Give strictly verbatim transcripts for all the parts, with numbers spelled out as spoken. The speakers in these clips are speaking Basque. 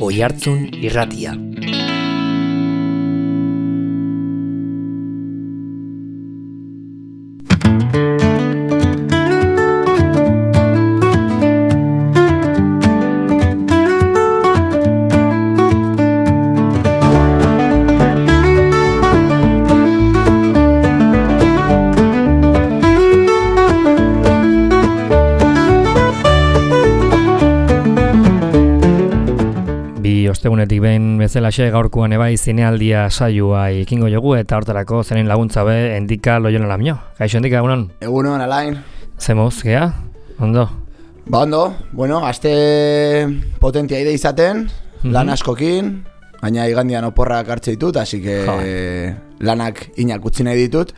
Oihartzun Irratia. Ostegunetik behin bezalaxe gaurkoan ebai zinealdia saioa ikingo jogu eta hortarako zenen laguntza be Endika Loiola Lamio. Kaixo Endika, egunon? Egunon, Alain. Zemoz, gea? Ondo? Ba ondo, bueno, aste potentia ide izaten, mm-hmm. lan askokin, baina igandian oporrak hartze ditut, así que jo. Lanak inak utzi nahi ditut.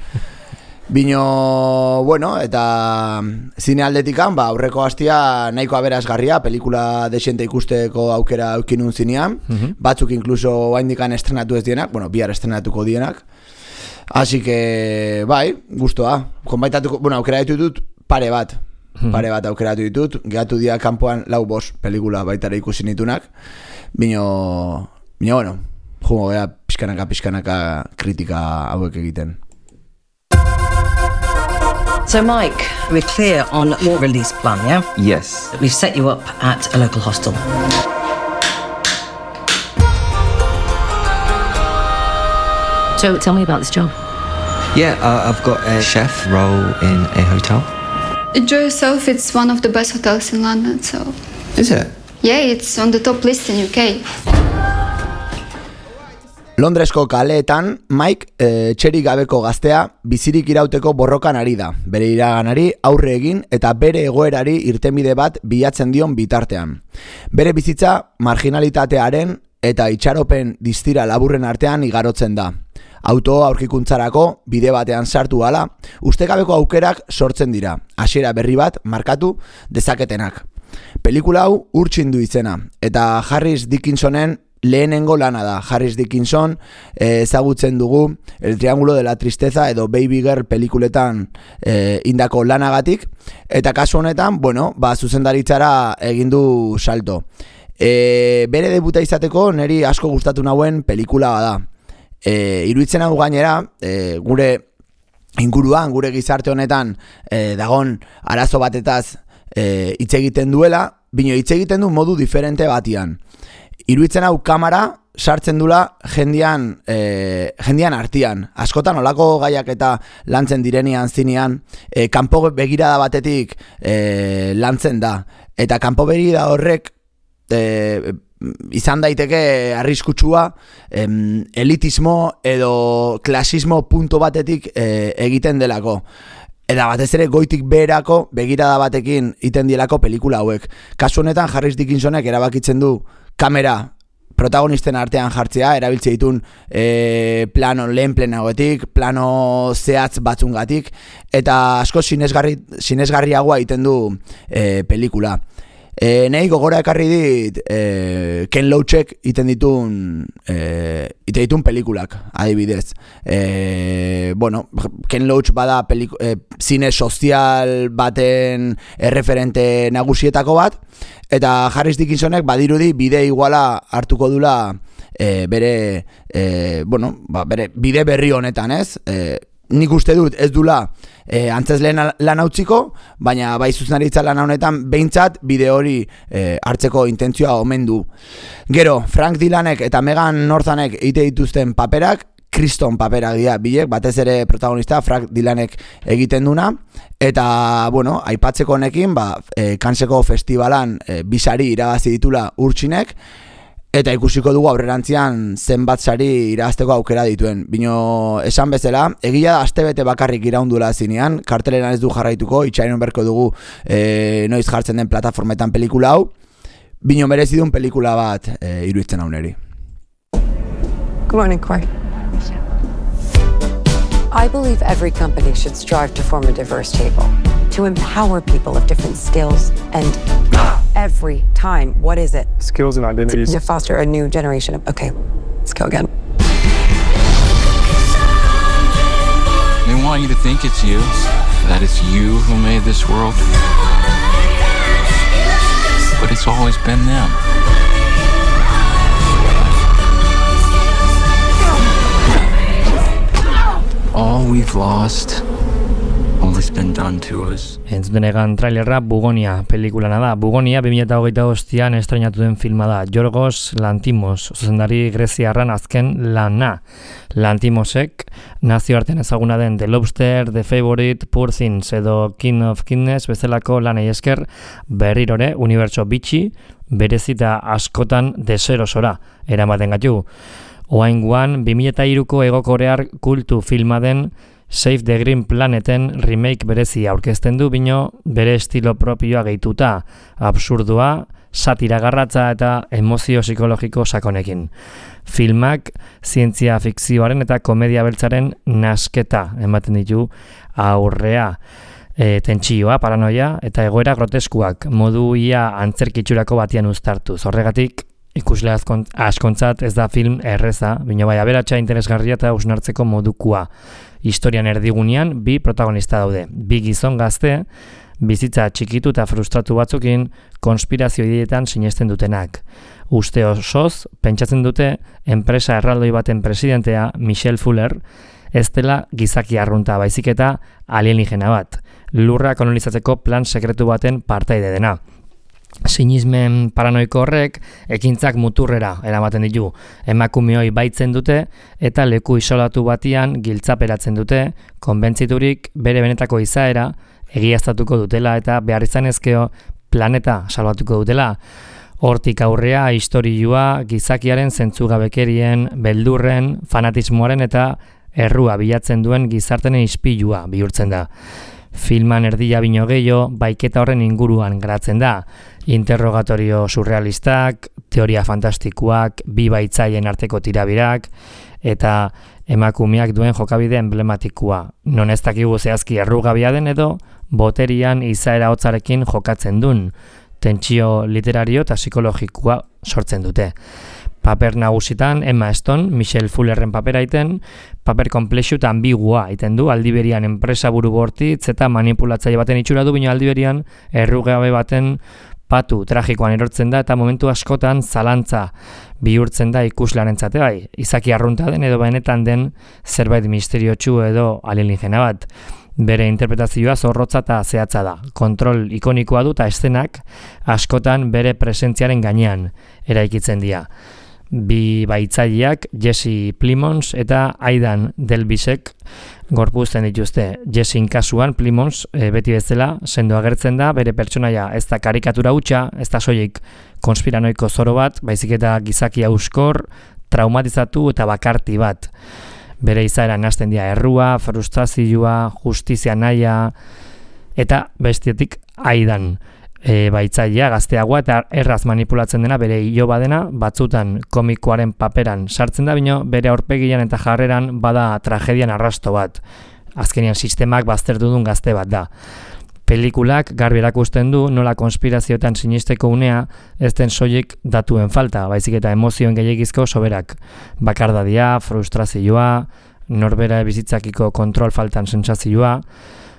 Bino, bueno, eta zine aldetikan, ba, aurreko hastia nahiko aberasgarria, pelikula desiente ikusteko aukera eukinun zinean, mm-hmm. batzuk inkluso haindikan estrenatu ez dienak, bueno, bihar estrenatuko dienak. Así que, bai, gustoa. Konbaitatuko, bueno, aukera ditut pare bat, mm-hmm. pare bat aukeratu ditut, gehatu dia kanpoan lau bost pelikula baitara ikusi nitunak, bino, bino, bueno, jungo gea pixkanaka, pixkanaka kritika hauek egiten. So, Mike, we're clear on your release plan, yeah? Yes. We've set you up at a local hostel. So, tell me about this job. Yeah, uh, I've got a chef role in a hotel. Enjoy yourself. It's one of the best hotels in London, so... Is it? Yeah, it's on the top list in U K. Londresko kaleetan, Mike, e, txerik gabeko gaztea, bizirik irauteko borrokan ari da. Bere iraganari aurre egin eta bere egoerari irtenbide bat bilatzen dion bitartean. Bere bizitza marginalitatearen eta itxaropen distira laburren artean igarotzen da. Auto aurkikuntzarako bide batean sartu hala, ustekabeko aukerak sortzen dira. Hasiera berri bat markatu dezaketenak. Pelikula hau Urtsin du izena, eta Harris Dickinsonen lehenengo lana da. Harris Dickinson eh, ezagutzen dugu El Triángulo de la Tristeza edo Baby Girl pelikuletan eh, indako lanagatik, eta kasu honetan, bueno, ba, zuzendaritzara egin du salto. E, bere debuta izateko niri asko gustatu nauen pelikula bada. E, iruditzen hau gainera, e, gure inguruan, gure gizarte honetan e, dagon arazo batetaz e, hitz egiten duela, bino hitz egiten du modu diferente batian. Iruditzen hau kamera sartzen dula jendian, e, jendian artian. Askotan olako gaiak eta lantzen direnean zinean, e, kanpo begirada batetik e, lantzen da. Eta kanpo begirada horrek e, izan daiteke arriskutsua em, elitismo edo klasismo punto batetik e, egiten delako. Eta batez ere goitik beherako begirada batekin iten dielako pelikula hauek. Kasu honetan Harris Dickinsonek erabakitzen du kamera protagonisten artean jartzea, erabiltze ditun e, plano lehen plenagoetik, plano zehatz batzungatik, eta asko sinesgarri, sinesgarriagoa egiten du e, pelikula. E, Nei gogora ekarri dit e, Ken Loachek iten ditun e, iten ditun pelikulak, adibidez. E, bueno, Ken Loach bada peliku, e, zine sozial baten erreferente nagusietako bat, eta Harris Dickinsonek badirudi bide iguala hartuko dula e, bere, e, bueno, ba, bere bide berri honetan, ez? E, nik uste dut ez dula e, antzesleen lan hautziko, baina bai zuzenaritza lan honetan behintzat bide hori e, hartzeko intentzioa omen du. Gero, Frank Dylanek eta Megan Northanek egite dituzten paperak, kriston paperak dira bilek, batez ere protagonista Frank Dylanek egiten duna, eta, bueno, aipatzeko honekin, ba, e, Canneseko festivalan e, bisari irabazi ditula Urtsinek, eta ikusiko dugu aurrerantzian zenbat sari irabazteko aukera dituen. Bino, esan bezala, egia da astebete bakarrik iraundula zinean, karteleran ez du jarraituko, itxainon berko dugu e, noiz jartzen den plataformetan pelikula hau, bino merezidun pelikula bat e, iruditzen hau neri. Good morning, Corey. I believe every company should strive to form a diverse table, to empower people of different skills and every time. What is it? Skills and identities. To foster a new generation of... Okay, let's go again. They want you to think it's you, that it's you who made this world. But it's always been them. all we've lost, all that's been done to us. Entzuten egan trailerra Bugonia pelikulana da. Bugonia bi mila hogeita bostean estreinatu den filma da. Yorgos Lanthimos, zuzendari greziarran azken lana. Lanthimosek nazioartean ezaguna den The Lobster, The Favorite, Poor Things edo King of Kindness bezalako lanei esker berrirore unibertso bitxi, berezita askotan deserosora eramaten gaitu. Oaingoan bi mila hiruko egokorear kultu filma den Save the Green Planeten remake berezi aurkezten du, bino bere estilo propioa gehituta, absurdua, satira garratza eta emozio psikologiko sakonekin. Filmak zientzia fikzioaren eta komedia beltzaren nasketa ematen ditu aurrea. E, tentsioa, paranoia eta egoera groteskuak modu ia antzerkitxurako batian uztartuz. Horregatik, ikusle askontzat ez da film erreza, bino bai aberatsa interesgarria eta usnartzeko modukua. Historian erdigunean bi protagonista daude. Bi gizon gazte, bizitza txikitu eta frustratu batzukin konspirazio ideetan sinesten dutenak. Uste osoz, pentsatzen dute enpresa erraldoi baten presidentea, Michelle Fuller, ez dela gizaki arrunta baizik eta alienígena bat. Lurra kolonizatzeko plan sekretu baten partaide dena. Sinismen paranoiko horrek ekintzak muturrera eramaten ditu. Emakumeoi baitzen dute eta leku isolatu batian giltzaperatzen dute, konbentziturik bere benetako izaera egiaztatuko dutela eta behar izanezkeo planeta salbatuko dutela. Hortik aurrea istorioa gizakiaren zentzugabekerien, beldurren, fanatismoaren eta errua bilatzen duen gizartenen ispilua bihurtzen da. Filman erdia bino gehiago, baiketa horren inguruan garatzen da. Interrogatorio surrealistak, teoria fantastikoak, bi baitzaien arteko tirabirak, eta emakumeak duen jokabide emblematikoa. Non ez dakigu zehazki errugabia den edo, boterian izaera hotzarekin jokatzen duen. Tentsio literario eta psikologikoa sortzen dute. Paper nagusitan Emma Stone, Michelle Fullerren papera iten, paper komplexu eta ambigua iten du, aldiberian enpresa buru bortitz eta manipulatzaile baten itxura du, bino aldiberian errugabe baten patu tragikoan erortzen da eta momentu askotan zalantza bihurtzen da ikuslearentzat bai, izaki arrunta den edo benetan den zerbait misteriotsu edo alienígena bat. Bere interpretazioa zorrotza eta zehatza da. Kontrol ikonikoa du eta eszenak askotan bere presentziaren gainean eraikitzen dira. Bi baitzaileak Jesse Plimons eta Aidan Delbisek gorpuzten dituzte. Jessin kasuan Plimons e, beti bezala sendo agertzen da, bere pertsonaia ez da karikatura hutsa, ez da soilik konspiranoiko zoro bat, baizik eta gizaki hauskor, traumatizatu eta bakarti bat. Bere izaera nahasten dira errua, frustrazioa, justizia nahia eta bestetik Aidan. E, baitzailea gazteagoa eta erraz manipulatzen dena bere iloba dena, batzutan komikoaren paperan sartzen da, bino bere aurpegian eta jarreran bada tragedian arrasto bat. Azkenean sistemak baztertu duen gazte bat da. Pelikulak garbi erakusten du nola konspirazioetan sinisteko unea ez den soilik datuen falta, baizik eta emozioen gehiagizko soberak. Bakardadia, frustrazioa, norbera bizitzakiko kontrol faltan sentsazioa.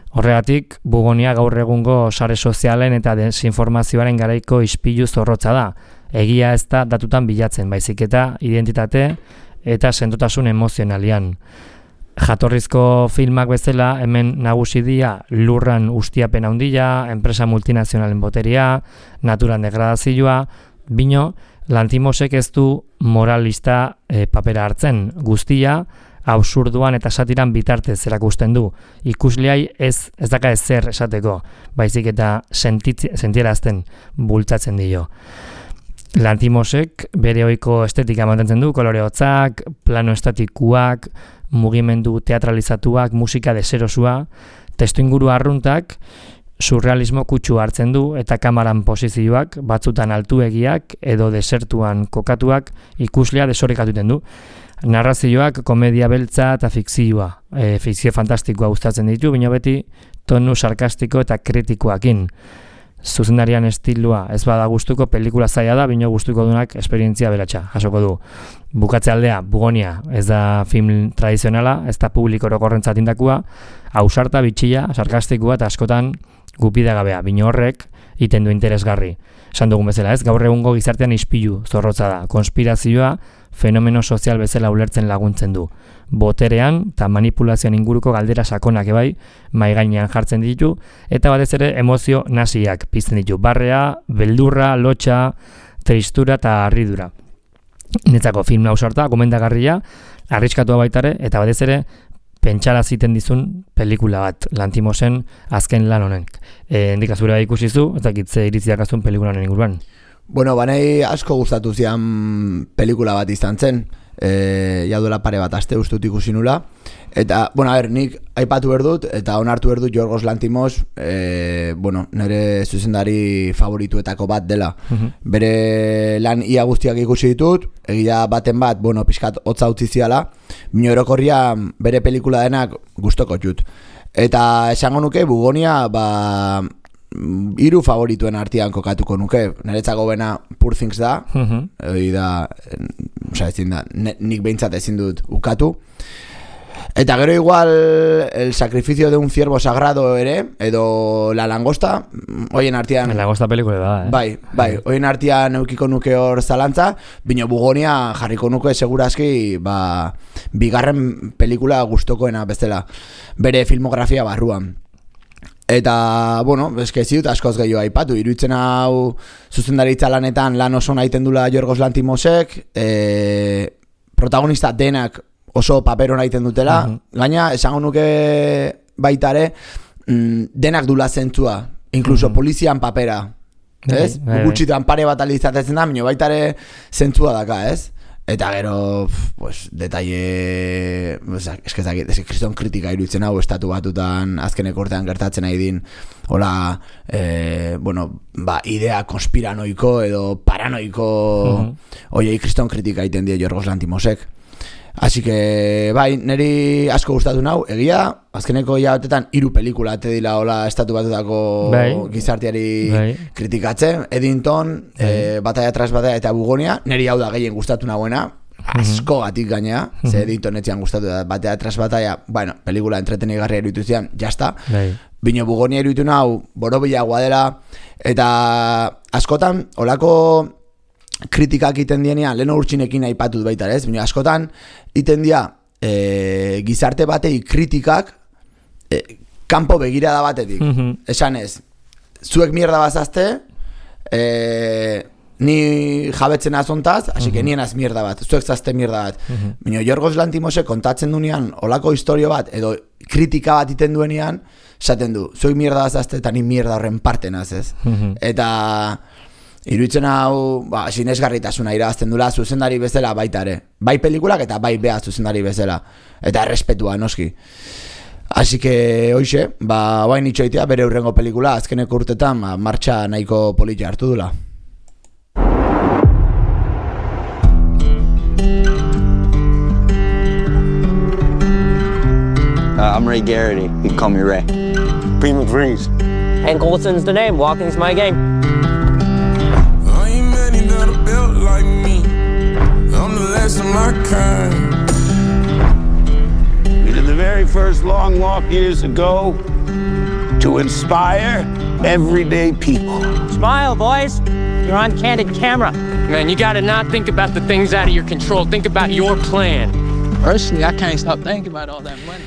Horregatik, Bugonia gaur egungo sare sozialen eta desinformazioaren garaiko ispilu zorrotza da. Egia ez da datutan bilatzen, baizik eta identitate eta sendotasun emozionalian. Jatorrizko filmak bezala hemen nagusi dira lurran ustiapen handia, enpresa multinazionalen boteria, naturan degradazioa, bino Lanthimosek ez du moralista e, papera hartzen, guztia absurduan eta satiran bitartez erakusten du. Ikusleai ez ez daka ezer esateko, baizik eta sentierazten bultzatzen dio. Lanthimosek bere ohiko estetika mantentzen du, kolore hotzak, plano estatikuak, mugimendu teatralizatuak, musika deserosua, testuinguru arruntak, surrealismo kutsu hartzen du eta kamaran posizioak, batzutan altuegiak edo desertuan kokatuak ikuslea desorekatuten du. Narrazioak komedia beltza eta fikzioa, e, fikzio fantastikoa gustatzen ditu, bino beti tonu sarkastiko eta kritikoakin. Zuzendarian estilua ez bada gustuko pelikula zaila da, bino gustuko dunak esperientzia beratxa, jasoko du. Bukatze aldea, Bugonia, ez da film tradizionala, ez da publiko orokorrentzat indakua, ausarta, bitxia, sarkastikoa eta askotan gupidagabea, bino horrek iten du interesgarri. Esan dugun bezala ez, gaur egungo gizartean ispilu zorrotza da, konspirazioa, fenomeno sozial bezala ulertzen laguntzen du. Boterean eta manipulazioan inguruko galdera sakonak ebai mai gainean jartzen ditu eta batez ere emozio nasiak pizten ditu. Barrea, beldurra, lotxa, tristura eta harridura. Netzako film ausarta, gomendagarria, arriskatua baitare eta batez ere pentsara ziten dizun pelikula bat Lantimosen azken lan honek. E, Endikazura ikusizu eta kitze iritziak azun pelikula honen inguruan. Bueno, banei asko gustatu zian pelikula bat izan zen. E, ja duela pare bat aste ustut ikusi nula. Eta, bueno, a ber, nik aipatu berdut eta onartu berdut Yorgos Lantimos, e, bueno, nire zuzendari favorituetako bat dela. Uh-huh. Bere lan ia guztiak ikusi ditut, egia baten bat, bueno, pixkat hotza utzi ziala, bino erokorria bere pelikula denak gustoko txut. Eta esango nuke, Bugonia, ba, hiru favorituen artean kokatuko nuke. Niretzako bena Poor Things da, uh-huh. Oi da, oza, ezin da, nik behintzat ezin dut ukatu. Eta gero igual El sacrificio de un ciervo sagrado ere, edo La langosta, hoien artean... La langosta pelikule da, eh? Bai, bai, hoien artean eukiko nuke hor zalantza, bino Bugonia jarriko nuke segurazki, ba, bigarren pelikula gustokoena bezala, bere filmografia barruan. Eta, bueno, eske ziut askoz gehiago aipatu, iruditzen hau zuzendaritza lanetan lan oso nahiten dula Yorgos Lantimosek, e, protagonista denak oso papero nahiten dutela, uh-huh. Gaina, esango nuke baitare, mm, denak dula zentzua, inkluso uh-huh. Polizian papera, ez? Gutxitan pare bat alizatetzen da, minio baitare zentzua daka, ez? Eta gero, pues, detalle, eskezak, ez kriston kritika iruditzen hau, estatu batutan azkeneko urtean gertatzen nahi din, hola, eh, bueno, ba, idea konspiranoiko edo paranoiko, uh-huh. Oiei kriston kritika iten die Yorgos Lantimosek. Así que, bai, niri asko gustatu nau, egia, azkeneko hilabetetan hiru pelikula ate dila hola estatu batutako bai. Gizarteari bai. Kritikatzen, Eddington, bai. eh, Batalla tras Batalla eta Bugonia, niri hau da gehien gustatu nagoena, asko gatik gainea, uh-huh. Ze Eddington etzian gustatu da, Batalla tras Batalla, bueno, pelikula entretenigarria iruditu zian, jazta, bai. Bino Bugonia iruditu nau, borobilagoa dela, eta askotan, holako kritikak iten dienean, lehen urtsinekin aipatut baita, ez? Bino, askotan, iten dia e, gizarte batei kritikak e, kanpo begirada batetik. Mm-hmm. Esan ez, zuek mierda bazazte, e, ni jabetzen azontaz, hasi que mm-hmm. nien az mierda bat, zuek zazte mierda bat. Mm-hmm. Bino, Yorgos Lantimose kontatzen duenean olako historio bat, edo kritika bat iten duenean, esaten du, zuek mierda bazazte eta ni mierda horren parten az, ez? Mm-hmm. Eta... iruditzen hau, ba, sinesgarritasuna irabazten dula zuzendari bezala baita ere. Bai pelikulak eta bai beha zuzendari bezala. Eta errespetua, noski. Así que, hoxe, ba, bain itxoitea bere hurrengo pelikula, azkeneko urtetan, ba, martxa nahiko politia hartu dula. Uh, I'm Ray Garrity. You can call me Ray. Bree McVrees. Hank Olson's the name. Walking's my game. Built like me, I'm the last of my kind. We did the very first long walk years ago to inspire everyday people. Smile, boys. You're on candid camera. Man, you gotta not think about the things out of your control. Think about your plan. Personally, I can't stop thinking about all that money.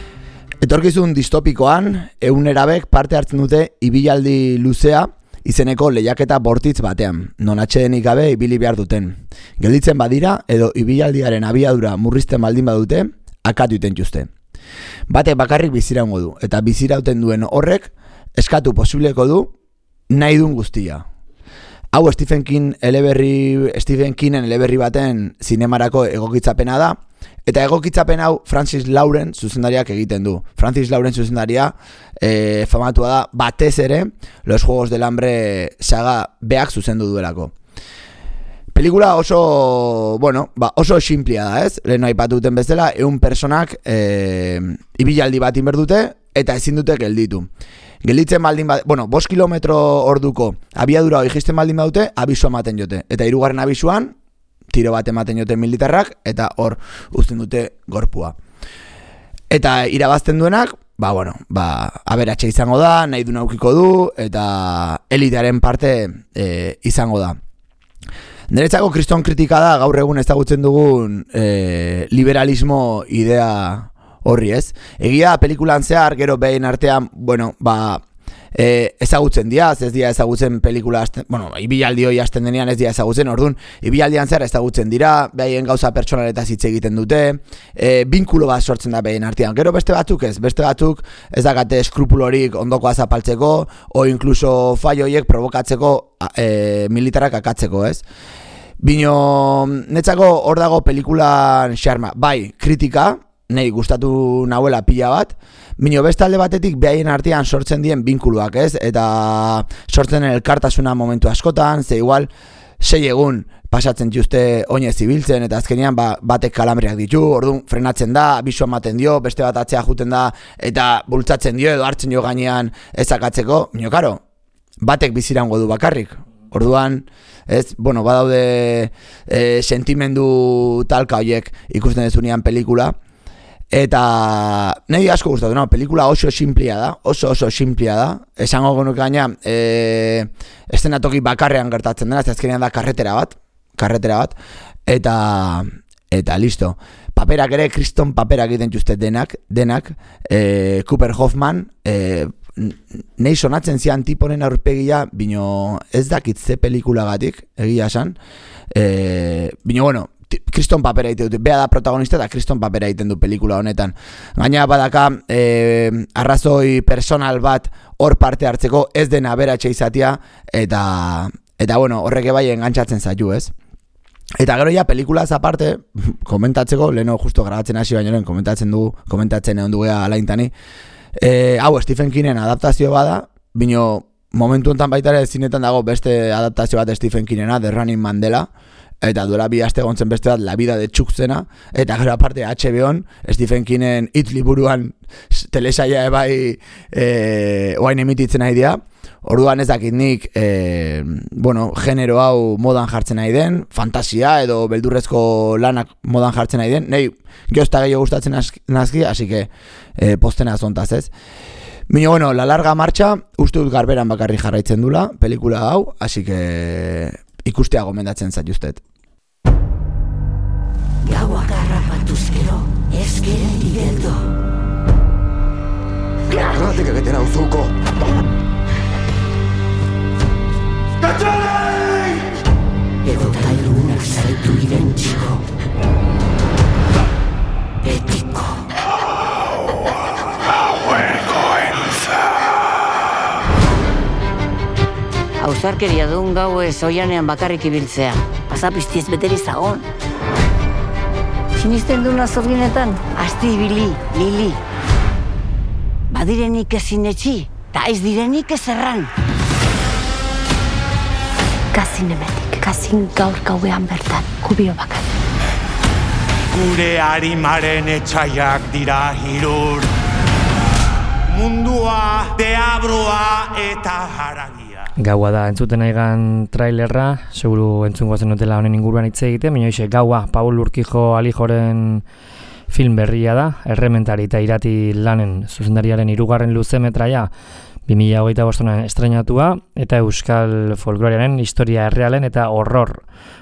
Etorkizun distopikoan, ehun parte hartzen dute ibilaldi luzea, izeneko lehiaketa bortitz batean, non atsedenik gabe ibili behar duten. Gelditzen badira, edo ibilaldiaren abiadura murrizten baldin badute, akatu iten juzte. Bate bakarrik biziraungo du, eta bizirauten duen horrek, eskatu posibleko du, nahi duen guztia. Hau Stephen King eleberri, Stephen Kingen eleberri baten zinemarako egokitzapena da, eta egokitzapen hau Francis Lauren zuzendariak egiten du. Francis Lauren zuzendaria e, famatua da batez ere Los Juegos del Hambre saga beak zuzendu duelako. Pelikula oso, bueno, ba, oso simplia da, ez? Lehen aipatu duten bezala, ehun personak e, ibilaldi bat inberdute eta ezin dute gelditu. Gelditzen baldin bat, bueno, bost kilometro orduko abiadura hori jisten baldin badute, abisua ematen jote. Eta hirugarren abisuan, tiro bat ematen jote militarrak, eta hor uzten dute gorpua. Eta irabazten duenak, ba, bueno, ba, aberatxe izango da, nahi du naukiko du, eta elitearen parte e, izango da. Niretzako kriston kritika da gaur egun ezagutzen dugun e, liberalismo idea horri, ez? Egia pelikulan zehar, gero behin artean, bueno, ba, e, ezagutzen dira, ez dira ezagutzen pelikula, azten, bueno, ibilaldi hoi hasten denean ez dira ezagutzen, orduan, ibilaldian zehar ezagutzen dira, behaien gauza pertsonaletaz hitz egiten dute, e, binkulo bat sortzen da behin artean. Gero beste batzuk ez, beste batzuk ez dakate eskrupulorik ondokoa zapaltzeko, o inkluso faioiek provokatzeko e, militarrak akatzeko, ez? Bino, netzako hor dago pelikulan xarma, bai, kritika, nahi gustatu nahuela pila bat, bino beste alde batetik behaien artean sortzen dien binkuluak, ez? Eta sortzen elkartasuna momentu askotan, ze igual, sei egun pasatzen dituzte oinez ibiltzen, eta azkenean ba, batek kalambriak ditu, orduan frenatzen da, abisu ematen dio, beste bat atzea juten da, eta bultzatzen dio edo hartzen dio gainean ezakatzeko, bino karo, batek bizirango du bakarrik. Orduan, ez, bueno, badaude e, sentimendu talka horiek ikusten dezunean pelikula, eta nahi asko gustatu, no? Pelikula oso simplia da, oso oso simplia da. Esango genuk gaina, e, eszenatoki bakarrean gertatzen dena, ez azkenean da karretera bat, karretera bat, eta eta listo. Paperak ere, kriston paperak egiten juzte denak, denak, e, Cooper Hoffman, e, nahi sonatzen zian tiponen aurpegia, bino ez dakit ze pelikulagatik, egia esan, e, bino bueno, kriston papera egiten dut, bea da protagonista eta kriston papera egiten du pelikula honetan. Gaina badaka e, arrazoi personal bat hor parte hartzeko ez dena aberatxe izatea eta, eta bueno, horreke bai engantzatzen zaitu, ez? Eta gero ja pelikulaz aparte, komentatzeko, leheno justo grabatzen hasi baino komentatzen dugu, komentatzen egon dugea alaintani, e, hau Stephen Kingen adaptazio bada, bino momentu enten baita ere zinetan dago beste adaptazio bat Stephen Kingena, The Running Man dela, eta duela bi aste gontzen beste bat La Vida de Chuck zena, eta gero aparte H B O'n Stephen Kingen It liburuan telesaia ebai e, oain emititzen nahi dira. Orduan ez dakit nik e, bueno, genero hau modan jartzen nahi den, fantasia edo beldurrezko lanak modan jartzen nahi den, nahi geozta gehiago gustatzen nazki, así que e, postena zontaz, ez? Bino, bueno, La Larga Marcha uste dut garberan bakarri jarraitzen dula pelikula hau, así que ikustea gomendatzen zaituztet. Gaua garrapatuz gero, ezkera igeldo. Garratik egiten hau zuko! Katxalei! Edo tailunak zaitu irentziko. Betiko. Ausarkeria duen gau ez oianean bakarrik ibiltzea. Pasapiztiez beteri zagon. Sinisten duna zorginetan, asti ibili, lili. Badirenik ezin etxi, ta ez direnik ez erran. Kazin emetik, kazin gaur gauean bertan, kubio bakar. Gure harimaren etxaiak dira hirur. Mundua, deabroa eta haragia. Gaua da, entzuten aigan trailerra, seguru entzungo zenutela honen inguruan hitz egiten, baina hoxe, Gaua, Paul Urquijo Alijoren film berria da, Errementari eta Irati lanen zuzendariaren hirugarren luzemetraia bi mila hogeita bostean estreinatua, eta euskal folkloriaren historia errealen eta horror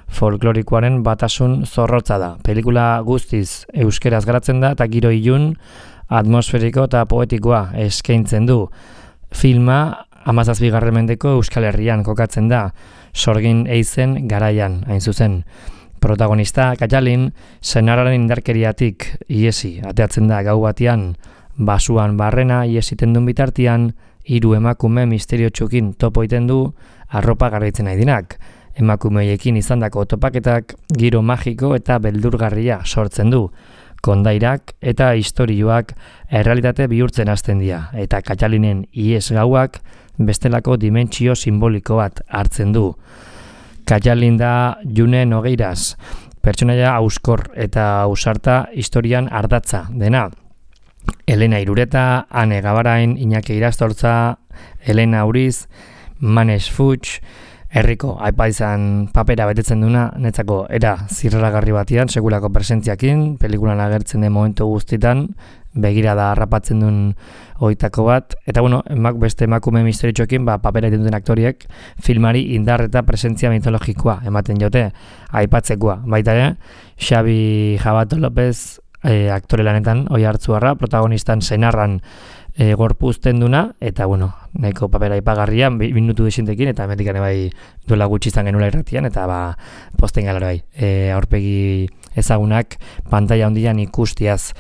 folklorikoaren batasun zorrotza da. Pelikula guztiz euskeraz garatzen da eta giro ilun, atmosferiko eta poetikoa eskaintzen du. Filma hamazazpigarren mendeko Euskal Herrian kokatzen da, sorgin eizen garaian, hain zuzen. Protagonista, Katalin, senarraren indarkeriatik iesi, ateatzen da gau batian, basuan barrena iesiten duen bitartian, hiru emakume misterio txukin topo iten du, arropa garaitzen nahi dinak. Emakumeekin izandako topaketak giro magiko eta beldurgarria sortzen du. Kondairak eta istorioak errealitate bihurtzen hasten dira, eta Katalinen ies gauak bestelako dimentsio simboliko bat hartzen du. Katalin da June Nogeiras, pertsonaia auskor eta ausarta historian ardatza dena. Elena Irureta, Ane Gabarain, Iñaki Irastortza, Elena Uriz, Manes Fuchs, herriko aipaizan papera betetzen duna, netzako era zirraragarri batian, segulako presentziakin, pelikulan agertzen den momentu guztitan, begirada harrapatzen duen hoitako bat, eta bueno, emak, beste emakume misterioekin ba, papera egiten duten aktoriek filmari indar eta presentzia mitologikoa ematen jote, aipatzekoa. Baita ere, Xabi Jabato López e, aktore lanetan oi hartzuarra, protagonistan senarran e, gorpuzten duna, eta bueno, nahiko papera ipagarrian, minutu desintekin, eta emetik bai duela gutxi izan genula irratian, eta ba, posten galera bai, e, aurpegi ezagunak pantalla handian ikustiaz.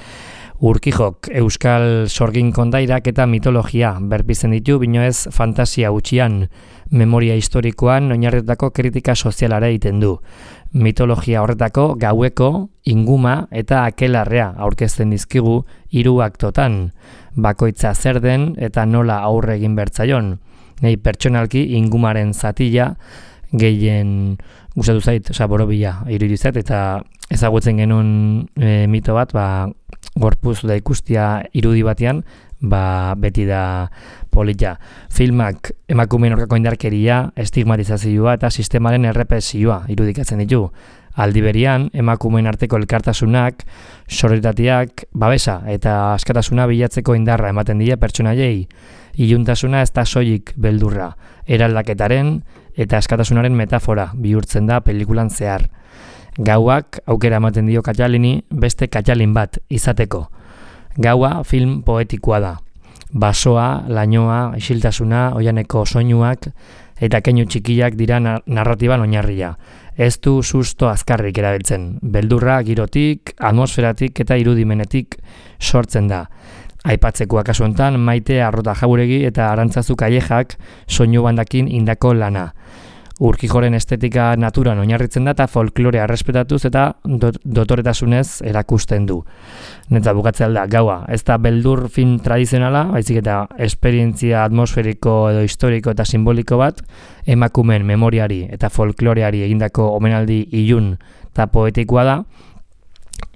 Urkijok, euskal sorgin kondairak eta mitologia berpizen ditu, bino ez fantasia utxian, memoria historikoan oinarritutako kritika sozialara egiten du. Mitologia horretako gaueko, inguma eta akelarrea aurkezten dizkigu hiru aktotan, bakoitza zer den eta nola aurre egin bertzaion. Nei pertsonalki ingumaren zatila gehien gustatu zait, oza, borobila irudizat, eta ezagutzen genuen e, mito bat, ba, gorpuz da ikustia irudi batean, ba, beti da polita. Filmak emakumeen aurkako indarkeria, estigmatizazioa eta sistemaren errepresioa irudikatzen ditu. Aldi berian, emakumeen arteko elkartasunak, sororitateak, babesa eta askatasuna bilatzeko indarra ematen dira pertsonaiei. Iluntasuna ez da soilik beldurra, eraldaketaren eta askatasunaren metafora bihurtzen da pelikulan zehar. Gauak aukera ematen dio Katalini beste Katalin bat izateko. Gaua film poetikoa da. Basoa, lainoa, isiltasuna, oianeko soinuak eta keinu txikiak dira narratiban oinarria. Ez du susto azkarrik erabiltzen. Beldurra girotik, atmosferatik eta irudimenetik sortzen da. Aipatzeko kasu honetan Maite Arrota Jauregi eta Arantzazu Kallejak soinu bandakin indako lana. Urkijoren estetika naturan oinarritzen da eta folklorea errespetatuz eta dot, dotoretasunez erakusten du. Neta bukatzea da, gaua, ez da beldur film tradizionala, baizik eta esperientzia atmosferiko edo historiko eta simboliko bat, emakumeen memoriari eta folkloreari egindako omenaldi ilun eta poetikoa da,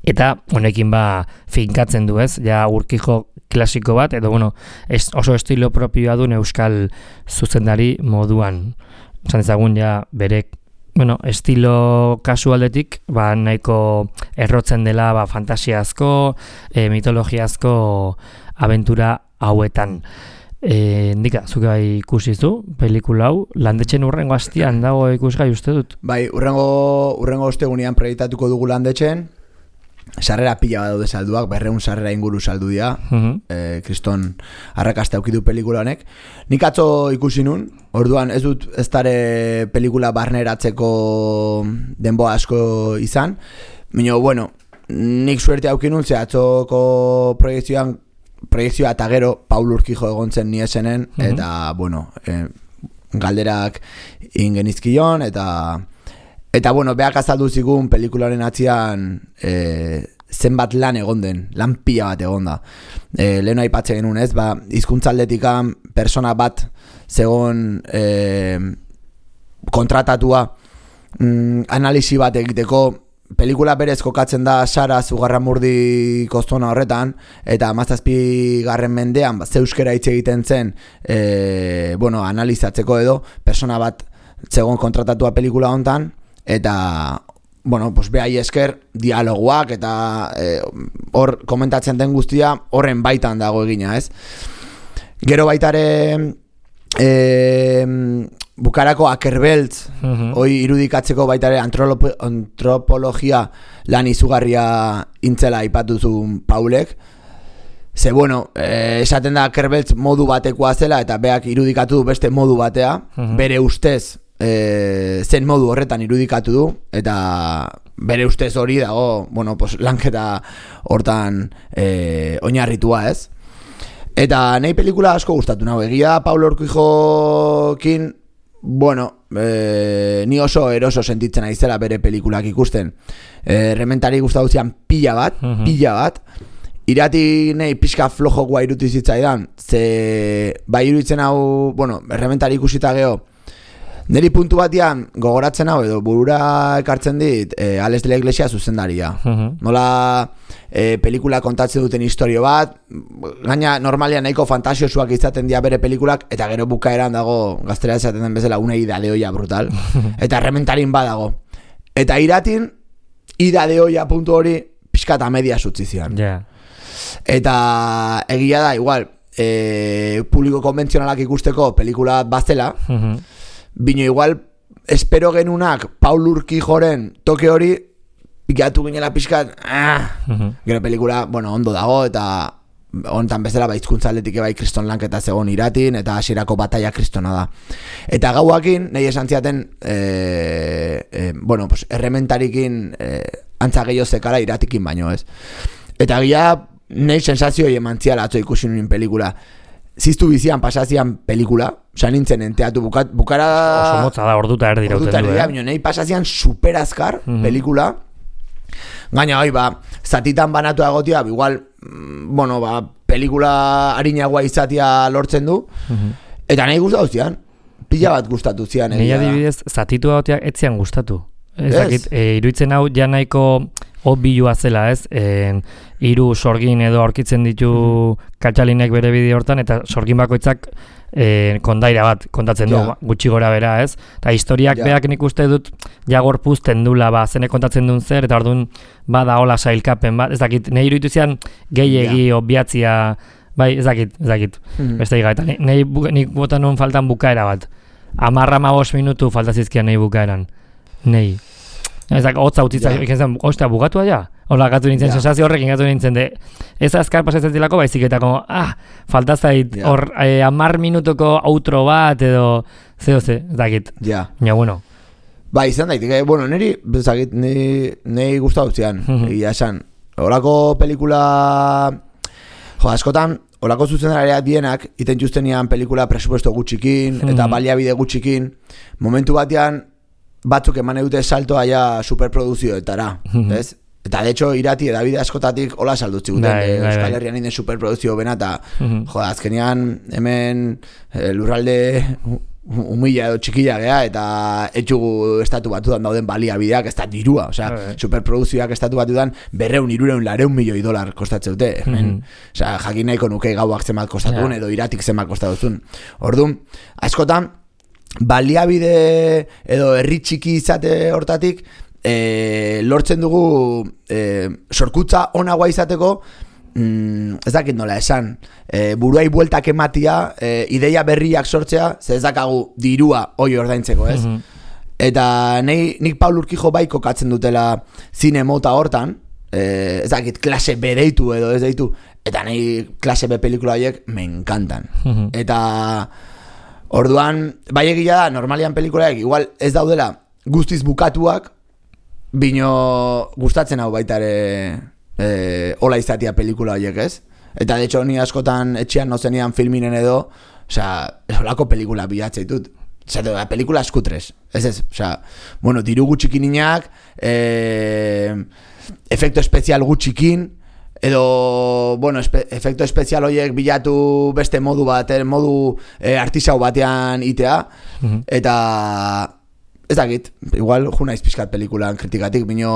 eta honekin ba finkatzen du, ez? Ja Urkijo klasiko bat, edo bueno, es, oso estilo propioa duen euskal zuzendari moduan. Esan ezagun ja berek, bueno, estilo kasualdetik, ba, nahiko errotzen dela ba, fantasiazko, e, mitologiazko abentura hauetan. E, Ndika, zuke bai ikusizu, pelikula hau, landetxen urrengo hastian dago ikusgai uste dut? Bai, urrengo, urrengo ostegunean proiektatuko dugu landetxen, sarrera pila bat daude salduak, berreun sarrera inguru saldu dira, uh-huh. e, kriston arrakasta aukidu pelikula honek. Nik atzo ikusi nun, orduan ez dut ez dare pelikula barneratzeko denboa asko izan, baina, bueno, nik suerte auki nun, ze atzoko proiektzioan, proiektzioa eta gero Paul Urkijo egon zen niesenen, uh-huh. eta, bueno, e, galderak ingenizkion, eta... Eta, bueno, beak azaldu zigun pelikularen atzian e, zenbat lan egon den, lan pila bat egon da. E, lehen aipatzen genuen ez, ba, hizkuntzaldetikan persona bat zegoen e, kontratatua mm, analisi bat egiteko. Pelikula berez kokatzen da Sara Zugarramurdi kostona horretan, eta hamazazpi garren mendean ba, ze euskera hitz egiten zen e, bueno, analizatzeko edo, persona bat zegoen kontratatua pelikula hontan, eta, bueno, pues behai esker dialoguak eta hor e, komentatzen den guztia horren baitan dago egina, ez? Gero baitare e, bukarako Akerbeltz, uh-huh. hoi irudikatzeko baitare antrolop, antropologia lan izugarria intzela aipatuzun Paulek. Ze, bueno, e, esaten da Akerbeltz modu batekoa zela eta beak irudikatu du beste modu batea, uh-huh. bere ustez E, zen modu horretan irudikatu du, eta bere ustez hori dago, bueno, pues, lanketa hortan e, oinarritua, ez? Eta nahi pelikula asko gustatu nago, egia Paulo Urkijokin, bueno, e, ni oso eroso sentitzen aizela bere pelikulak ikusten. E, Rementari gustatu zian pila bat, uh-huh. pila bat, irati nahi pixka flojokoa irutu zitzaidan, ze bai iruditzen hau, bueno, Rementari ikusita geho, neri puntu batian gogoratzen hau edo burura ekartzen dit e, Alex de la Iglesia zuzendaria. Uh-huh. Nola e, pelikula kontatzen duten historio bat, gaina normalian nahiko fantasiosuak izaten dira bere pelikulak, eta gero bukaeran dago gaztera esaten den bezala una ida de olla brutal, eta Rementarin badago. Eta iratin, ida de olla puntu hori pixka eta media sutzi zian. Yeah. Eta egia da, igual, e, publiko konbentzionalak ikusteko pelikula bazela, uh-huh. bino igual, espero genunak Paul Urquijoren toke hori, pikatu ginela pixkat, ah, uh-huh. gero pelikula, bueno, ondo dago, eta honetan bezala baizkuntza atletik bai kriston lanketa zegoen iratin, eta hasierako bataia kristona da. Eta gauakin, nahi esan ziaten, e, e, bueno, pues, errementarikin e, antza gehiago zekara iratikin baino, ez? Eta gila, nahi sensazioi eman ziala atzo ikusi nuen pelikula. Ziztu bizian pasazian pelikula, oza nintzen enteatu bukat, bukara... Oso motza da, orduta erdi rauten du, eh? Orduta erdi, nahi pasazian superazkar mm-hmm. pelikula. Gaina, oi, ba, zatitan banatu agotia, igual, bueno, ba, pelikula harinagoa izatia lortzen du, mm-hmm. eta nahi gustatu zian, pila bat gustatu zian. Nei adibidez, zatitu agotiak etzian gustatu. Ez dakit, e, iruditzen hau ja nahiko obbilua zela, ez? E, hiru sorgin edo aurkitzen ditu mm-hmm. Katxalinek bere bideo hortan, eta sorgin bakoitzak e, kondaira bat kontatzen du, ja. gutxi gora bera, ez? Eta historiak ja. beak nik uste dut jagor puzten dula, ba, zene kontatzen duen zer, eta orduan bada hola sailkapen bat, ez dakit, nahi iruditu zian gehiegi ja. obbiatzia, bai, ez dakit, ez dakit, mm-hmm. beste higa, eta nahi nik botan nuen faltan bukaera bat, amarra ma bost minutu faltazizkian nahi bukaeran, nahi. Ez dakit, hotza utzitzak, yeah. ikentzen, ostea, bukatua ja? Hola, gatu nintzen, yeah. sensazio horrekin gatu nintzen, de, ez azkar pasatzen zilako, baizik eta, como, ah, faltazait, yeah. hor, eh, amar minutuko outro bat, edo, zeo ze, ez dakit. Ja. Yeah. Ja, bueno. Ba, izan daitik, eh, bueno, niri, ez dakit, niri gustatu zian, egia esan. Horako pelikula, jo, askotan, horako zuzendaria dienak, iten justenian pelikula presupuesto gutxikin, mm-hmm. eta baliabide gutxikin, momentu batean, batzuk eman edute saltoa ja superproduzioetara, mm-hmm. ez? Eta de hecho irati edabide askotatik hola saldutzi guten, dai, dai, Euskal Herrian inen superproduzio bena, eta mm-hmm. jo, azkenean hemen e, lurralde humila edo txikila gea, eta etxugu estatu batudan dauden baliabideak, ez da dirua, osea, okay. superproduzioak estatu batudan berreun, irureun, lareun milioi dolar kostatze dute, hemen, mm-hmm. osea, jakin nahiko nuke gauak zemat kostatun, yeah. edo iratik zemat kostatuzun. Orduan, askotan, baliabide edo herri txiki izate hortatik e, lortzen dugu e, sorkutza onagoa izateko mm, ez dakit nola esan e, buruai bueltak ematia e, ideia berriak sortzea, ze ez dakagu dirua hoi ordaintzeko, ez? Mm-hmm. Eta nei, nik Paul Urquijo bai kokatzen dutela zine mota hortan, e, ez dakit klase B deitu edo ez deitu, eta nei klase B pelikula horiek me encantan. Mm-hmm. Eta orduan, bai egia da, normalian pelikulaek igual ez daudela guztiz bukatuak, bino gustatzen hau baita ere e, hola izatia pelikula horiek, ez? Eta de hecho ni askotan etxean nozenian filminen edo, osea, holako pelikula bilatzeitut. Osea, pelikula eskutrez, ez ez, osea, bueno, diru gutxikininak, e, efekto espezial gutxikin, edo, bueno, espe, efekto espezial horiek bilatu beste modu bat, modu e, artisau batean itea, mm-hmm. eta ez dakit, igual ju naiz pixkat pelikulan kritikatik, bino,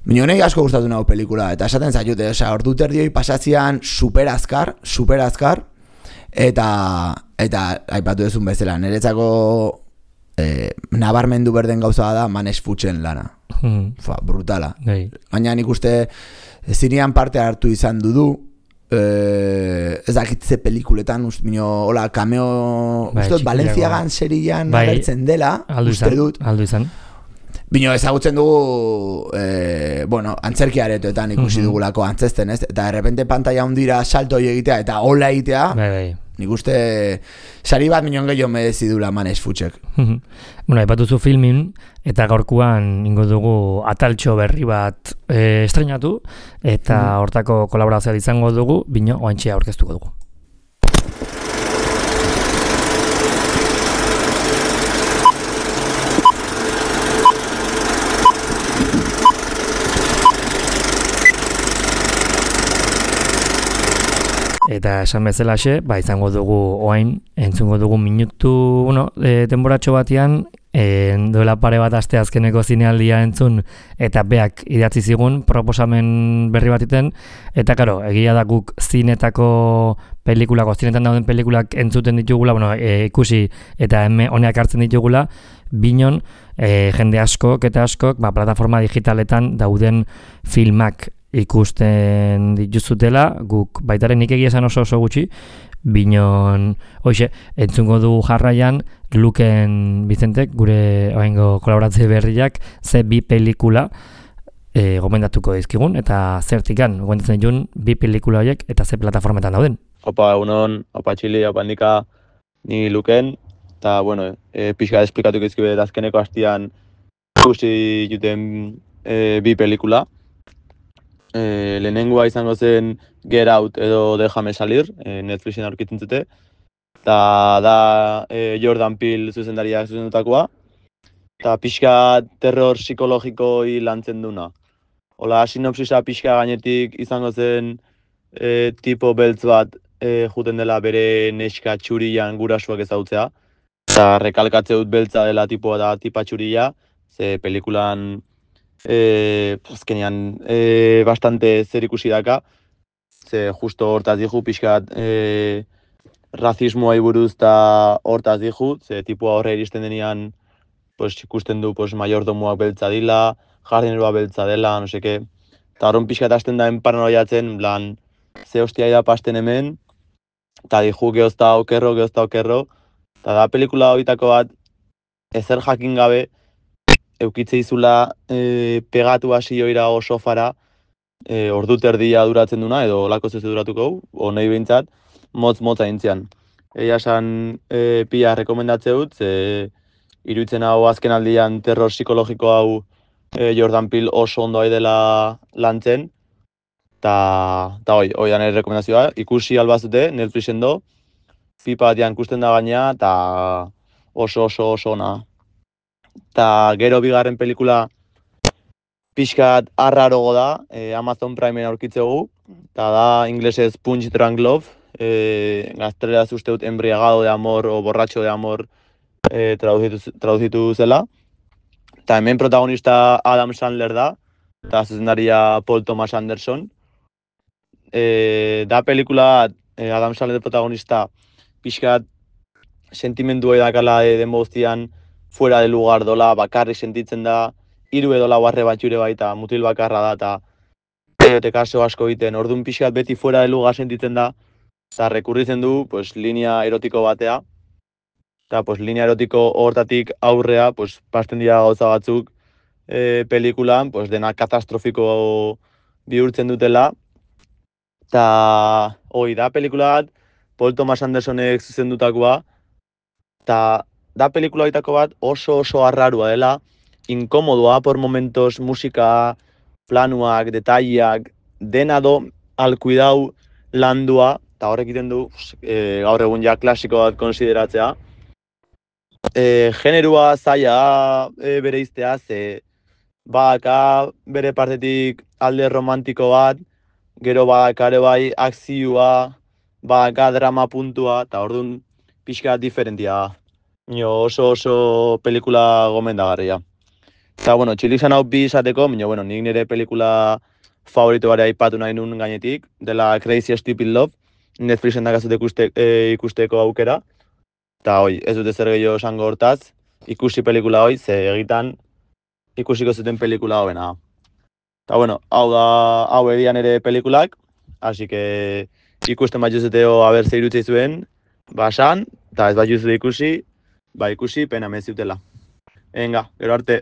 bino nahi asko gustatu nago pelikula, eta esaten zaitute, osea, ordu terdioi pasatzean super azkar, super azkar, eta, eta aipatu duzun bezala, niretzako e, nabarmendu berden gauza da Manes Fuchen lana, mm-hmm. Fa, brutala, hey. Baina nik uste, zinean parte hartu izan dudu, eh, ez dakitze pelikuletan, bino, hola, cameo, bai, ustot, Valenciagan serian bai, agertzen dela, uste dut. Aldu izan. Bino, ezagutzen dugu, eh, bueno, antzerkiaretoetan ikusi mm-hmm. dugulako antzesten, ez? Eta errepente pantalla hundira salto hori egitea, eta hola egitea, bai, bai. Nik uste sari bat minon gehiago merezi dula Manes Fuchek. Bueno, aipatuzu filmin, eta gaurkuan ingo dugu ataltxo berri bat e, estrenatu, eta mm. hortako kolaborazioa izango dugu, bino oantxea aurkeztuko dugu. Eta esan bezalaxe, ba, izango dugu oain, entzungo dugu minutu, no, e, denboratxo batean, e, duela pare bat aste azkeneko zinealdia entzun, eta beak idatzi zigun proposamen berri batiten, eta karo, egia da guk zinetako pelikulako, zinetan dauden pelikulak entzuten ditugula, bueno, e, ikusi eta eme honeak hartzen ditugula, binon, e, jende askok eta askok, ba, plataforma digitaletan dauden filmak ikusten dituzutela, guk baitaren nik egia esan oso oso gutxi, binon, hoxe, entzungo du jarraian, Luken Vicentek, gure oraingo kolaboratze berriak, ze bi pelikula e, gomendatuko dizkigun, eta zertikan, gomendatzen ditun, bi pelikula horiek, eta ze plataformetan dauden. Opa, egunon, opa txili, opa handika, ni Luken, eta, bueno, e, pixka esplikatuko izkibe azkeneko hastian ikusi juten e, bi pelikula. E, lehenengoa izango zen Get Out edo Déjame Salir, e, Netflixen aurkitzen zute. Eta da e, Jordan Peele zuzendariak zuzendutakoa. Eta pixka terror psikologikoi lantzen duna. Hola, sinopsisa pixka gainetik izango zen e, tipo beltz bat e, juten dela bere neska txurian gurasuak ezautzea. Eta rekalkatze dut beltza dela tipoa da tipa txuria, ze pelikulan E, azkenean e, bastante zer ikusi daka, ze justo hortaz dihu pixkat e, razismoa buruz eta hortaz dihu, ze tipua horre iristen denean pues, ikusten du pues, mayordomoak beltza dila, jardineroa beltza dela, no seke, eta horren pixkat hasten da paranoiatzen, plan, ze hostia da pasten hemen, eta dihu gehozta okerro, gehozta okerro, eta da pelikula horietako bat ezer jakin gabe, eukitze izula e, pegatu hasi joira o sofara, e, ordu terdia duratzen duna, edo lako zeze duratuko, o nahi behintzat, motz-motz aintzian. Egia esan e, pia rekomendatze dut, ze iruditzen hau azken aldian terror psikologiko hau e, Jordan Peele oso ondo dela lantzen, eta hoi, hoi da nire rekomendazioa, ikusi albazute, Netflixen do, pipa batian ikusten da gaina, eta oso oso oso ona. Eta gero bigarren pelikula pixkat arrarogo da, e, Amazon Primeen aurkitzegu, eta da inglesez Punch Drunk Love, e, gazteleraz uste dut embriagado de amor o borratxo de amor e, traduzitu, traduzitu zela. Eta hemen protagonista Adam Sandler da, eta zuzendaria Paul Thomas Anderson. E, da pelikula e, Adam Sandler protagonista pixkat sentimendu edakala e, den guztian, fuera de lugar dola, bakarrik sentitzen da, hiru edo lau arre bat jure baita, mutil bakarra da, eta erote kaso asko egiten, orduan pixkat beti fuera de lugar sentitzen da, eta rekurritzen du, pues, linea erotiko batea, eta pues, linea erotiko hortatik aurrea, pues, pasten dira gauza batzuk e, pelikulan, pues, dena katastrofiko bihurtzen dutela, eta hoi da pelikula bat, Paul Thomas Andersonek zuzendutakoa, eta da pelikula horietako bat oso oso arrarua dela, inkomodoa por momentos musika, planuak, detaileak, dena do al cuidau landua, eta horrek egiten du e, gaur egun ja klasiko bat konsideratzea. E, generua zaila e, bere iztea, ze badaka bere partetik alde romantiko bat, gero badaka ere bai akzioa, badaka drama puntua, eta orduan pixka diferentia. Mino, oso oso pelikula gomendagarria. Eta, bueno, txilizan hau bi izateko, mino, bueno, nik nire pelikula favorito bare aipatu nahi nun gainetik, dela Crazy Stupid Love, Netflixen dakazut ikuste, e, ikusteko aukera. Eta, hoi, ez dute zer gehiago esango hortaz, ikusi pelikula hoi, ze egitan ikusiko zuten pelikula hoena. Eta, bueno, hau da, hau edian ere pelikulak, hasi que ikusten bat juzuteo haber ze irutzei zuen, basan, eta ez bat juzute ikusi, ba ikusi pena meziutela. Venga, gero arte.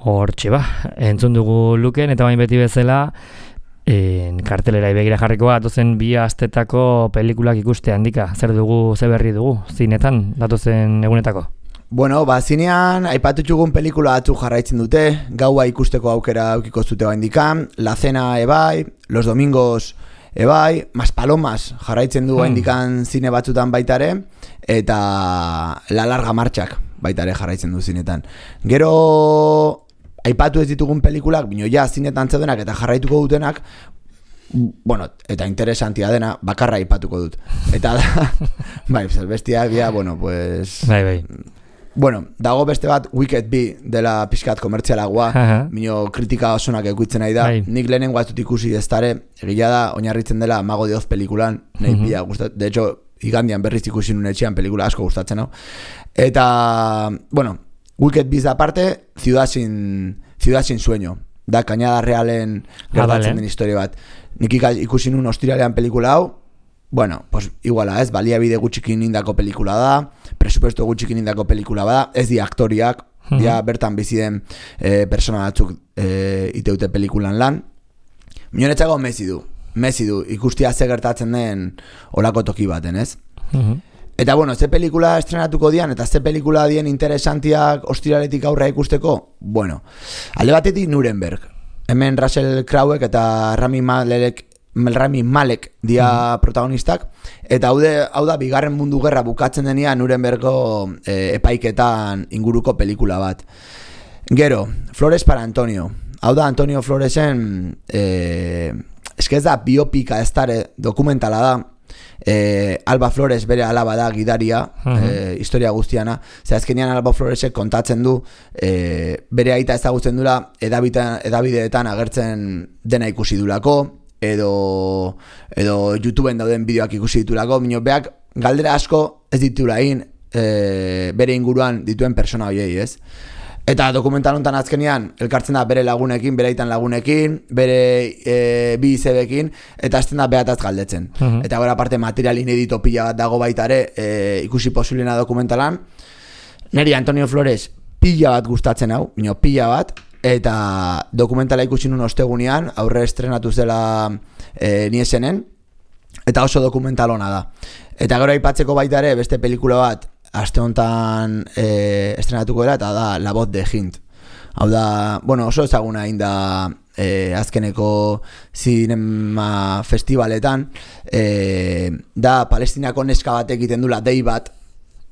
Hortxe ba, entzun dugu Luken, eta bain beti bezala, en, kartelera ibegira jarriko bat, datozen bi astetako pelikulak ikuste handika. Zer dugu, ze berri dugu, zinetan, datozen egunetako? Bueno, ba, zinean, aipatu txugun pelikula batzuk jarraitzen dute, gaua ikusteko aukera aukiko zute baindikan, La Cena ebai, Los Domingos ebai, Maspalomas jarraitzen du baindikan zine batzutan baitare, eta La Larga Martxak baitare jarraitzen du zinetan. Gero aipatu ez ditugun pelikulak, bino ja zinetan zeudenak eta jarraituko dutenak, bueno, eta interesantia dena, bakarra aipatuko dut. Eta da, bai, bestiak dia, bueno, pues... Bai, bai. bueno, dago beste bat Wicked bi dela pixkat komertzialagoa, mino kritika osonak ekuitzen nahi da. Hai. Nik lehenengo ez dut ikusi eztare, egila da, oinarritzen dela Mago de Oz pelikulan, nahi uh-huh. pila gustat, de hecho, igandian berriz ikusi nuen etxean pelikula asko gustatzen hau. Eta, bueno, Wicked bi aparte, Ciudad sin, Ciudad sin sueño, da Cañada Realen gertatzen den historia bat. Nik ikusi nuen ostiralean pelikula hau, bueno, pues iguala ez, baliabide gutxikin indako pelikula da, presupuesto gutxikin indako pelikula da, ez di aktoriak, uh-huh. dia bertan bizi den e, persona batzuk e, iteute pelikulan lan. Mionetxako mezi du, mezi du, ikustia ze gertatzen den olako toki baten, ez? Uh-huh. Eta bueno, ze pelikula estrenatuko dian, eta ze pelikula dien interesantiak ostiraletik aurra ikusteko, bueno, alde batetik Nuremberg. Hemen Russell Crowe eta Rami Malek, Rami Malek dia mm-hmm. protagonistak, eta hau, de, hau da bigarren mundu gerra bukatzen denia Nurembergo e, epaiketan inguruko pelikula bat. Gero, Flores para Antonio. Hau da Antonio Floresen, e, eske ez da biopika ez dare, dokumentala da. E, Alba Flores bere alaba da gidaria, uh-huh. e, historia guztiana. Zer azkenean Alba Floresek kontatzen du e, bere aita ezagutzen dula edabideetan agertzen dena ikusi dulako, edo, edo YouTubeen dauden bideoak ikusi ditulako, minio beak galdera asko ez ditula egin e, bere inguruan dituen persona hoiei, ez? Eta dokumental honetan azkenean elkartzen da bere lagunekin, bere aitan lagunekin, bere e, bi izebekin, eta azten da behataz galdetzen. Uh-huh. Eta gara parte material inedito pila bat dago baitare e, ikusi posiblena dokumentalan. Neri Antonio Flores pila bat gustatzen hau, bino pila bat, eta dokumentala ikusi nun ostegunean, aurre estrenatu zela e, niesenen, eta oso dokumental hona da. Eta gero aipatzeko baitare beste pelikula bat, aste honetan e, estrenatuko dela, eta da La Voz de Hint. Hau da, bueno, oso ezaguna egin da e, azkeneko zinema festivaletan, e, da Palestinako neska batek egiten dula dei bat,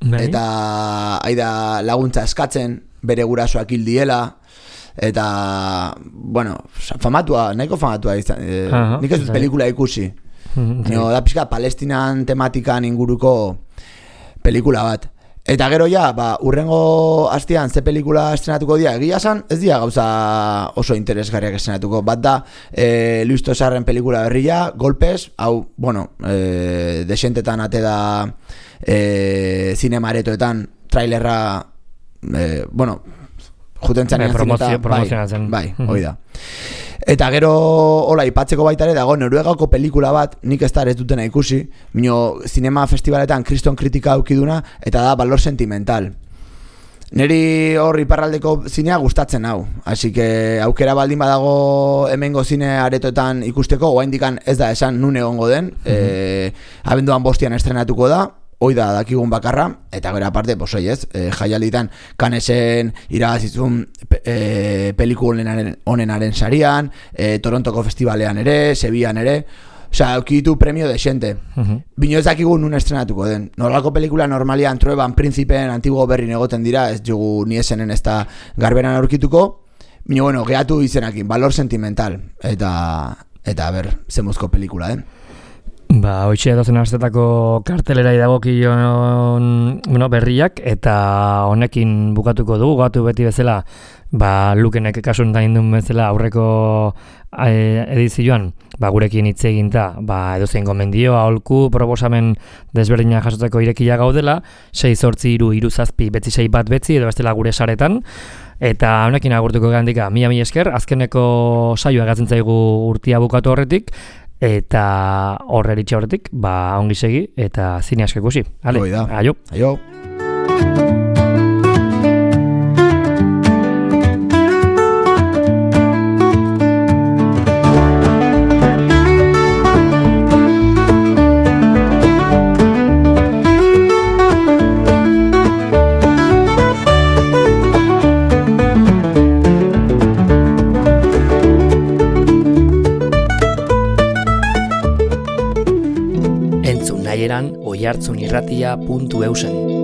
Bai. Eta aida laguntza eskatzen, bere gurasoak hil diela, eta, bueno, famatua, nahiko famatua izan, e, uh-huh, nik ez dut pelikula ikusi. Uh-huh, no, da pixka Palestinan tematikan inguruko pelikula bat. Eta gero ja, ba, urrengo astean ze pelikula estrenatuko dira, egia esan, ez dira gauza oso interesgarriak estrenatuko. Bat da, e, Luis Tosarren pelikula berria, Golpes, hau, bueno, e, desentetan ate da e, zinemaretoetan trailerra, e, bueno, juten zanean zineta, bai, bai, hoi da. Eta gero, hola, ipatzeko baita ere dago Noruegako pelikula bat, nik ez da ez dutena ikusi, mino zinema festivaletan kriston kritika aukiduna, eta da Valor Sentimental. Neri hor iparraldeko zinea gustatzen hau, así que aukera baldin badago hemengo zine aretoetan ikusteko, oraindikan ez da esan nun egongo den, mm-hmm. e, abenduan bostian estrenatuko da, hoi da dakigun bakarra, eta gero aparte, pues oi ez, e, jaialditan Canesen irabazizun e, pelikulen honenaren sarian, e, Torontoko festivalean ere, Sevillan ere, osea, aukitu premio de xente. Uh-huh. Bino ez dakigun nun estrenatuko den. Norlako pelikula normalian Trueban Príncipen antiguo berrin egoten dira, ez jugu ni esenen ez da garberan aurkituko, bino bueno, gehatu izenakin, Valor Sentimental, eta, eta ber, zemuzko pelikula den. Ba, hoitxe dozen astetako kartelera idagokion bueno, berriak, eta honekin bukatuko dugu, gatu beti bezala, ba, Lukenek kasuntan indun bezala aurreko e, edizioan, ba, gurekin hitz eginta, ba, edozein gomendio, aholku, proposamen desberdinak jasotzeko irekia gaudela, sei zortzi iru iru zazpi betzi sei bat betzi, edo bestela gure saretan, eta honekin agurtuko gandika, mila mila esker, azkeneko saioa gatzen zaigu urtia bukatu horretik, eta horre eritxe horretik, ba, ongi segi, eta zine asko ikusi. Ale, aio. Aio. oihartzunirratia puntu eusen